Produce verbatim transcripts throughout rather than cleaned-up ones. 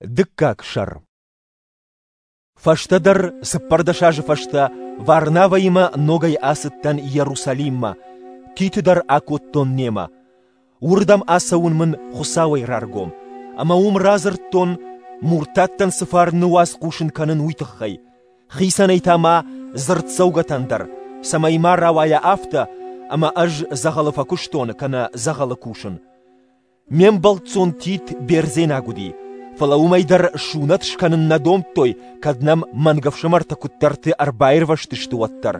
Дыккаг сӕр. Фӕстӕдӕр, цыппӕрдӕс азы фӕстӕ, Варнавӕимӕ ногӕй ацыдтӕн Иерусалиммӕ, Титы дӕр акодтон немӕ. Уырдӕм ацӕуын мын Хуыцауӕй раргом, ӕмӕ уым радзырдтон, муртаттӕн цы фарны уац хъусын кӕнын, уый тыххӕй. Хицӕнӕй та ма дзырддзӕугӕтӕн дӕр, цӕмӕй ма рауайа афтӕ, ӕмӕ ӕз дзӕгъӕлы фӕкуыстон кӕнӕ дзӕгъӕлы кусын. Ме мбӕлццон Тит бердзенаг уыди, фӕлӕ уымӕй дӕр сунӕт скӕнын нӕ домдтой, кӕд нӕм мӕнгӕфсымӕртӕ куыддӕрты ӕрбаирвӕзтысты, уӕддӕр.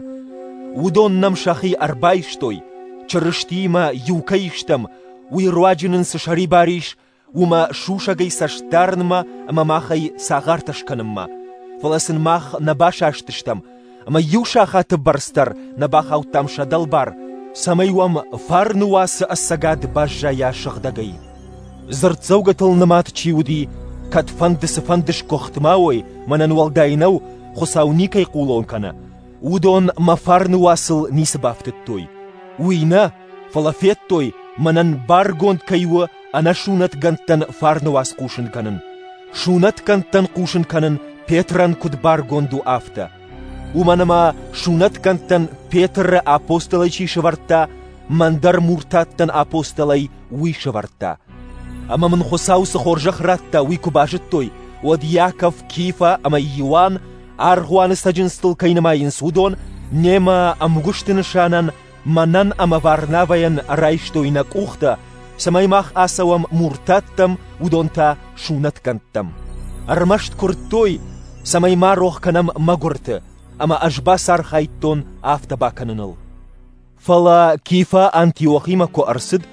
Уыдон нӕм сӕхи ӕрбайстой, Чырыстиимӕ иу кӕй стӕм, уый руаджы нын цы сӕрибар ис, уымӕ сусӕгӕй цӕст дарынмӕ ӕмӕ махӕй цагъартӕ скӕнынмӕ. Фӕлӕ сын мах нӕ басастыстӕм, ӕмӕ иу сахаты бӕрц дӕр нӕ бахаудтам сӕ дӕлбар, цӕмӕй уӕм фарны уацы ӕцӕгад баззайа сыгъдӕгӕй. Дзырддзӕугӕтыл нымад чи уыди, кӕдфӕнды цыфӕнды сгуыхт ма уой, мӕнӕн уӕлдай нӕу, Хуыцау никӕй хъулон кӕны. Уыдон мӕ фарны уацыл ницы бафтыдтой. Уый нӕ, фӕлӕ федтой, мӕнӕн баргонд кӕй у ӕнӕсунӕтгӕндтӕн фарны уац хъусын кӕнын. Сунӕтгӕндтӕн хъусын кӕнын Петрӕн куыд баргонд у, афтӕ. Уымӕн ӕмӕ сунӕтгӕндтӕн Петры апостолӕй чи сӕвӕрдта, мӕн дӕр муртаттӕн апостолӕй уый сӕвӕрдта. Ӕмӕ мын Хуыцау цы хорзӕх радта, уый куы базыдтой, уӕд Иаков, Кифа ӕмӕ Иоанн, аргъуаны цӕджындзтыл кӕй нымайынц, уыдон, немӕ ӕмгуысты нысанӕн мӕнӕн ӕмӕ Варнавӕйӕн райстой нӕ къухтӕ, цӕмӕй мах ацӕуӕм муртаттӕм, уыдон та сунӕтгӕндтӕм. Ӕрмӕст куырдтой, цӕмӕй ма рох кӕнӕм мӕгуырты, ӕмӕ ӕз бацархайдтон афтӕ бакӕныныл. Фӕлӕ Кифа Антиохимӕ куы ӕрцыд,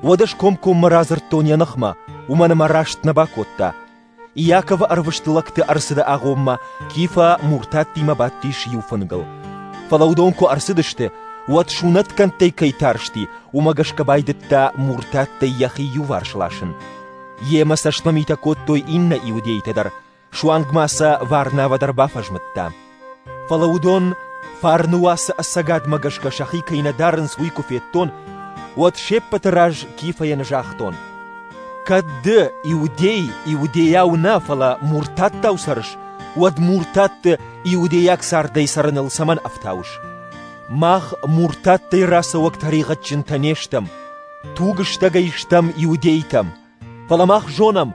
уӕд ӕз комкоммӕ радзырдтон йӕ ныхмӕ, уымӕн ӕмӕ раст нӕ бакодта. Иаковы ӕрвыст лӕгты ӕрцыды агъоммӕ Кифа муртаттимӕ бадтис иу фынгыл. Фӕлӕ уыдон куы ӕрцыдысты, уӕд сунӕтгӕндтӕй кӕй тарсти, уымӕ гӕсгӕ байдыдта муртаттӕй йӕхи иуварс ласын. Йемӕ цӕстмӕмитӕ кодтой иннӕ иудейтӕ дӕр, суанг ма сӕ Варнавӕ дӕр бафӕзмыдта. Фӕлӕ уыдон фарны уацы ӕцӕгадмӕ гӕсгӕ сӕхи кӕй нӕ дарынц, уый куы федтон, уӕд се ппӕты раз Кифайӕн загътон: кӕд ды, иудей, иудейау нӕ, фӕлӕ муртаттау цӕрыс, уӕд муртатты иудейаг цардӕй цӕрыныл цӕмӕн ӕфтауыс? Мах муртаттӕй рацӕуӕг тӕригъӕдджынтӕ не стӕм, тугыстӕгӕй стӕм иудейтӕм. Фӕлӕ мах зонӕм,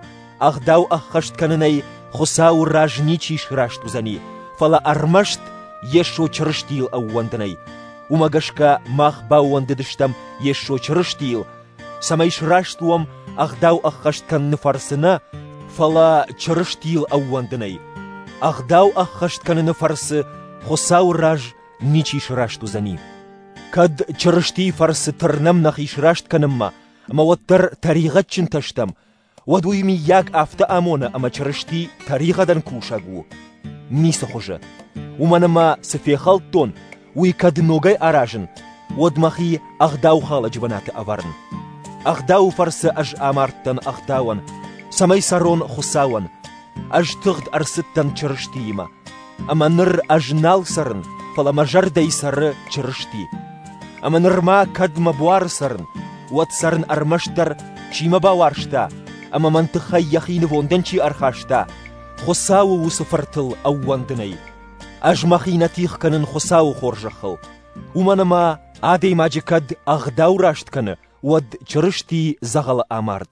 ӕгъдау ӕххӕст кӕнынӕй Хуыцауы раз ничи сраст уыдзӕни, фӕлӕ ӕрмӕст Йесо Чырыстийыл ӕууӕндынӕй. Уымӕ гӕсгӕ мах баууӕндыдыстӕм Йесо Чырыстийыл, цӕмӕй сраст уӕм ӕгъдау ӕххӕст кӕныны фӕрцы нӕ, фӕлӕ Чырыстийыл ӕууӕндынӕй. Ӕгъдау ӕххӕст кӕныны фӕрцы Хуыцауы раз ничи сраст уыдзӕни. Кӕд Чырыстийы фӕрцы тырнӕм нӕхи сраст кӕнынмӕ, ӕмӕ уӕддӕр тӕригъӕдджынтӕ стӕм, уӕд уый миййаг афтӕ амоны, ӕмӕ Чырысти тӕригъӕдӕн кусӕг у? Ницы хуызы. Уымӕн ӕмӕ цы фехӕлдтон, уый кӕд ногӕй аразын, уӕд мӕхи ӕгъдаухалӕджы бынаты ӕвӕрын. Ӕгъдауы фӕрцы ӕз амардтӕн ӕгъдауӕн, цӕмӕй цӕрон Хуыцауӕн. Ӕз тыгъд ӕрцыдтӕн Чырыстиимӕ. Ӕмӕ ныр ӕз нал цӕрын, фӕлӕ мӕ зӕрдӕйы цӕры Чырысти. Ӕмӕ нырма кӕд мӕ буары цӕрын, уӕд цӕрын ӕрмӕстдӕр, чи мӕ бауарзта, ӕмӕ мӕн тыххӕй йӕхи нывондӕн чи ӕрхаста, Хуыцауы уыцы фыртыл ӕууӕндынӕй. Ӕз мӕхи нӕ тигъ кӕнын Хуыцауы хорзӕхыл. Уымӕн ӕмӕ адӕймаджы кӕд ӕгъдау раст кӕны, уӕд Чырысти дзӕгъӕлы амард.